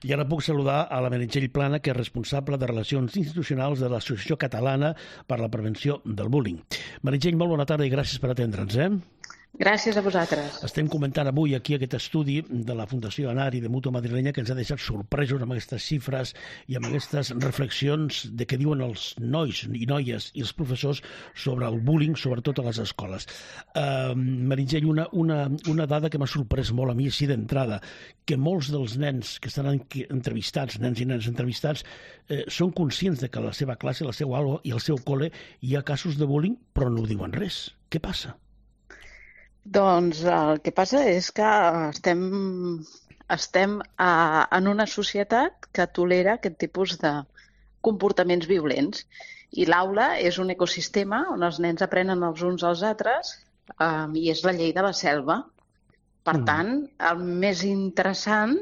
I ara puc saludar a la Meritxell Plana, que és responsable de Relacions Institucionals de l'Associació Catalana per a la Prevenció del Bullying. Meritxell, molt bona tarda i gràcies per atendre'ns. Gràcies a vosaltres. Estem comentant avui aquí aquest estudi de la Fundació Anari de Mútua Madrilenya que ens ha deixat sorpresos amb aquestes xifres i amb aquestes reflexions de què diuen els nois i noies i els professors sobre el bullying, sobretot a les escoles. Meritxell, una dada que m'ha sorprès molt a mi així d'entrada, que molts dels nens que estan entrevistats, nens i nenes entrevistats, són conscients de que a la seva classe, a la seva aula i al seu col·le hi ha casos de bullying, però no diuen res. Què passa? Doncs el que passa és que estem en una societat que tolera aquest tipus de comportaments violents. I l'aula és un ecosistema on els nens aprenen els uns als altres i és la llei de la selva. Per tant, el més interessant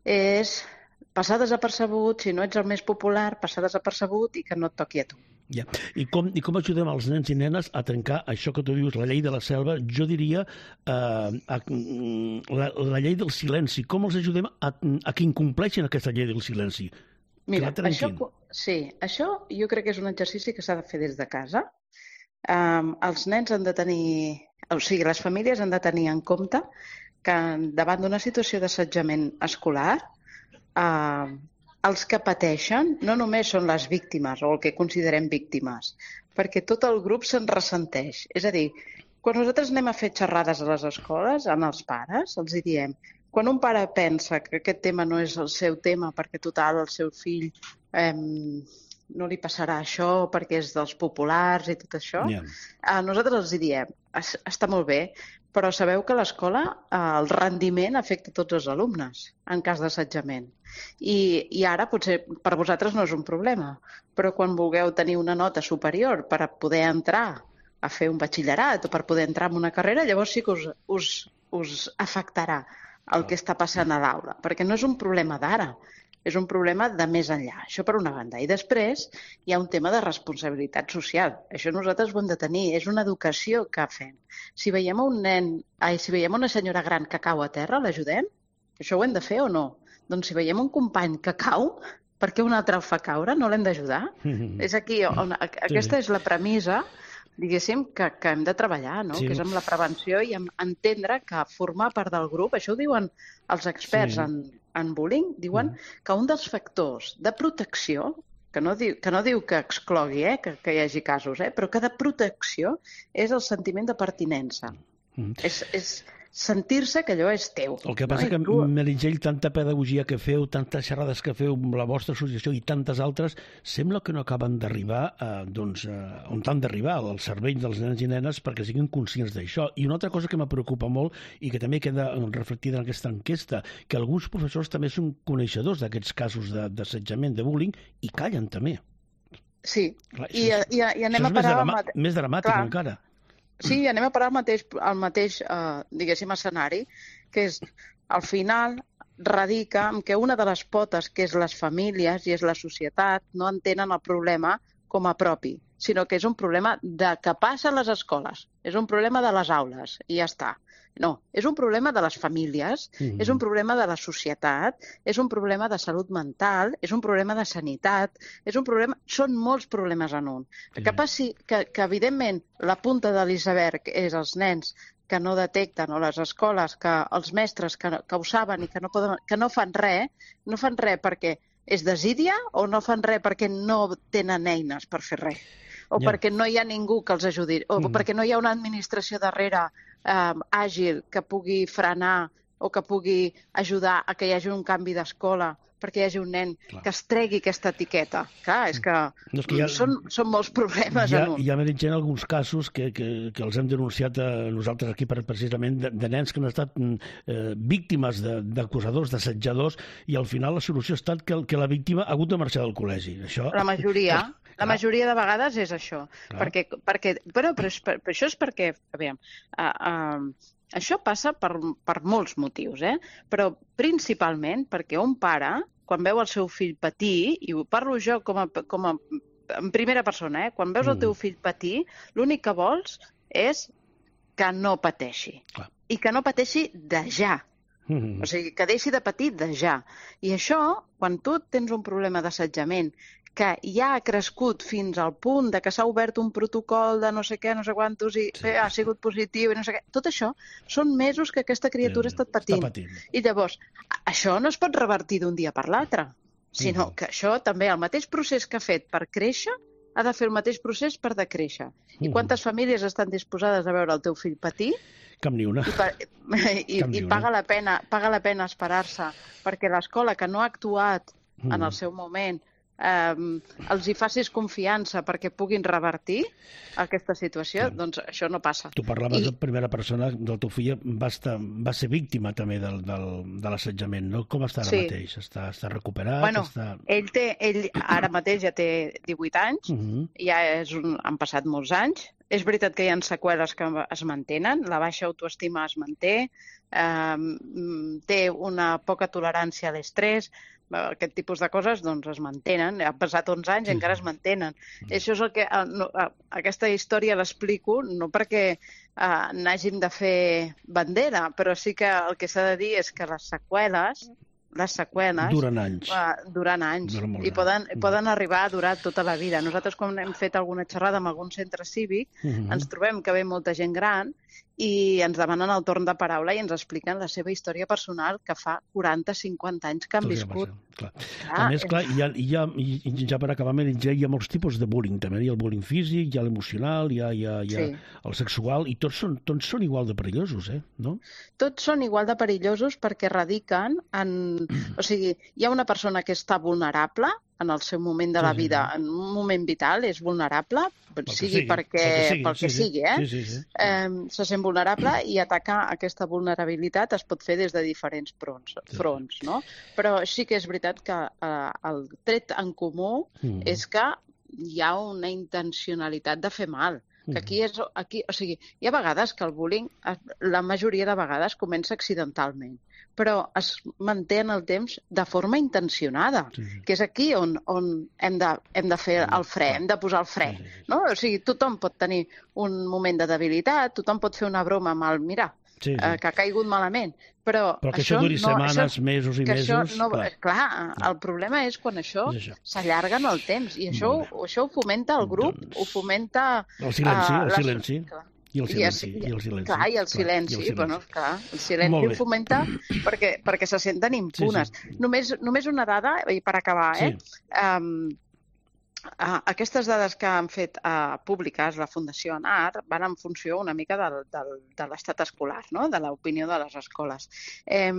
és passar desapercebut, si no ets el més popular, passar desapercebut i que no et toqui a tu. Ja. I com ajudem els nens i nenes a trencar això que tu dius, la llei de la selva? Jo diria la llei del silenci. Com els ajudem a que incompleixin aquesta llei del silenci? Mira, això jo crec que és un exercici que s'ha de fer des de casa. Els nens han de tenir, les famílies han de tenir en compte que davant d'una situació d'assetjament escolar, els que pateixen no només són les víctimes o el que considerem víctimes, perquè tot el grup se'n ressenteix. És a dir, quan nosaltres anem a fer xerrades a les escoles, amb els pares, els hi diem, quan un pare pensa que aquest tema no és el seu tema perquè total el seu fill no li passarà això perquè és dels populars i tot això, nosaltres els hi diem, està molt bé, però sabeu que a l'escola el rendiment afecta tots els alumnes en cas d'assetjament. I ara potser per vosaltres no és un problema, però quan vulgueu tenir una nota superior per a poder entrar a fer un batxillerat o per poder entrar en una carrera, llavors sí que us afectarà el que està passant a l'aula, perquè no és un problema d'ara, és un problema de més enllà. Això per una banda. I després hi ha un tema de responsabilitat social. Això nosaltres ho hem de tenir. És una educació que fem. Si veiem una senyora gran que cau a terra, l'ajudem? Això ho hem de fer o no? Doncs si veiem un company que cau, per què un altre el fa caure? No l'hem d'ajudar? És aquí on aquesta és la premissa, diguéssim, que hem de treballar, no? Que és amb la prevenció i amb entendre que formar part del grup, això ho diuen els experts en bullying, diuen que un dels factors de protecció, que no diu que exclogui, que hi hagi casos, però que de protecció és el sentiment de pertinença. És sentir-se que allò és teu. El que passa que, Meritxell, tanta pedagogia que feu, tantes xerrades que feu amb la vostra associació i tantes altres, sembla que no acaben d'arribar on han d'arribar, al cervell dels nens i nenes, perquè siguin conscients d'això. I una altra cosa que me preocupa molt i que també queda reflectida en aquesta enquesta, que alguns professors també són coneixedors d'aquests casos d'assetjament, de bullying, i callen també. Sí, i anem a parar... Més dramàtic encara. Sí, anem a parar al mateix diguéssim, escenari, que és, al final, radica en que una de les potes, que és les famílies i és la societat, no entenen el problema com a propi, sinó que és un problema que passa a les escoles, és un problema de les aules, i ja està. No, és un problema de les famílies, és un problema de la societat, és un problema de salut mental, és un problema de sanitat, són molts problemes en un. El que passi que evidentment, la punta de l'iceberg és els nens que no detecten, o les escoles, que els mestres que ho saben i que no fan res perquè és desídia o no fan res perquè no tenen eines per fer res. O perquè no hi ha ningú que els ajudi, o perquè no hi ha una administració darrere àgil que pugui frenar o que pugui ajudar a que hi hagi un canvi d'escola perquè hi hagi un nen que es tregui aquesta etiqueta. Clar, és que són molts problemes en un. Hi ha Meritxell alguns casos que els hem denunciat nosaltres aquí precisament de nens que han estat víctimes d'acusadors, d'assetjadors, i al final la solució ha estat que la víctima ha hagut de marxar del col·legi. La majoria de vegades és això. Però això és perquè, aviam, això passa per molts motius, però principalment perquè un pare, quan veu el seu fill patir, i ho parlo jo en primera persona, quan veus el teu fill patir, l'únic que vols és que no pateixi. I que no pateixi de ja. O sigui, que deixi de patir de ja. I això, quan tu tens un problema d'assetjament que ja ha crescut fins al punt de que s'ha obert un protocol de no sé què, no sé quantos, i ha sigut positiu, i no sé què. Tot això són mesos que aquesta criatura ha estat patint. I llavors, això no es pot revertir d'un dia per l'altre, sinó que això també, el mateix procés que ha fet per créixer, ha de fer el mateix procés per decréixer. I quantes famílies estan disposades a veure el teu fill patir? Cap ni una. I paga la pena esperar-se perquè l'escola que no ha actuat en el seu moment els hi facis confiança perquè puguin revertir aquesta situació, doncs això no passa. Tu parlaves de primera persona, del teu fill va ser víctima també de l'assetjament, no? Com està ara mateix? Està recuperat? Bueno, ell ara mateix ja té 18 anys, ja han passat molts anys. És veritat que hi ha seqüeles que es mantenen, la baixa autoestima es manté, té una poca tolerància a l'estrès, aquest tipus de coses doncs es mantenen, han passat 11 anys i encara es mantenen. Això és el que aquesta història l'explico no perquè n'hàgim de fer bandera, però sí que el que s'ha de dir és que les seqüeles duren anys i poden arribar a durar tota la vida. Nosaltres, quan hem fet alguna xerrada en algun centre cívic, ens trobem que ve molta gent gran i ens demanen el torn de paraula i ens expliquen la seva història personal que fa 40-50 anys que han viscut. A més, clar, ja per acabar, ja hi ha molts tipus de bullying, també. Hi ha el bullying físic, hi ha l'emocional, hi ha el sexual, i tots són igual de perillosos, no? Tots són igual de perillosos perquè radiquen en... O sigui, hi ha una persona que està vulnerable en el seu moment de la vida, en un moment vital, és vulnerable, pel que sigui, se sent vulnerable i atacar aquesta vulnerabilitat es pot fer des de diferents fronts, no? Però sí que és veritat que el tret en comú és que hi ha una intencionalitat de fer mal. Que o sigui, hi ha vegades que el bullying, la majoria de vegades, comença accidentalment, però es manté en el temps de forma intencionada, que és aquí on hem de fer el fre, hem de posar el fre. No? O sigui, tothom pot tenir un moment de debilitat, tothom pot fer una broma amb el mirar, que ha caigut malament, però que això duri setmanes, mesos i mesos... Clar, el problema és quan això s'allarga en el temps, i això ho fomenta el grup, ho fomenta... El silenci. I el silenci. Clar, i el silenci. Bueno, clar, el silenci ho fomenta perquè se senten impunes. Només una dada, i per acabar, aquestes dades que han fet públiques la Fundació ANAR van en funció una mica de l'estat escolar, no? De l'opinió de les escoles.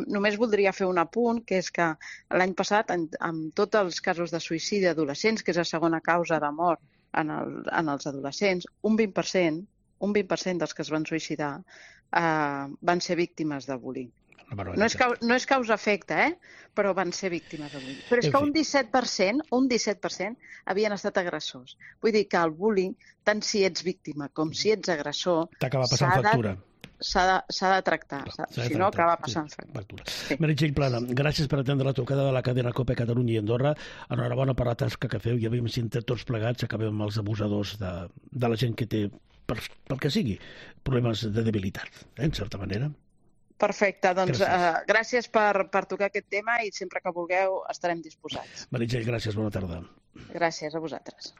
Només voldria fer un apunt, que és que l'any passat, amb tots els casos de suïcidi adolescents, que és la segona causa de mort en els adolescents, un 20% dels que es van suïcidar van ser víctimes de bullying. No és causa-efecte, però van ser víctimes de bullying. Però és que un 17% havien estat agressors. Vull dir que el bullying, tant si ets víctima com si ets agressor, t'acaba passant factura. S'ha de tractar, si no acaba passant factura. Meritxell Plana, gràcies per atendre la trucada de la cadena COPE Catalunya i Andorra. Enhorabona per la tasca que feu i a veure si entre tots plegats acabem amb els abusadors de la gent que té, pel que sigui, problemes de debilitat, en certa manera. Perfecte, doncs gràcies per tocar aquest tema i sempre que vulgueu estarem disposats. Meritxell, gràcies, bona tarda. Gràcies a vosaltres.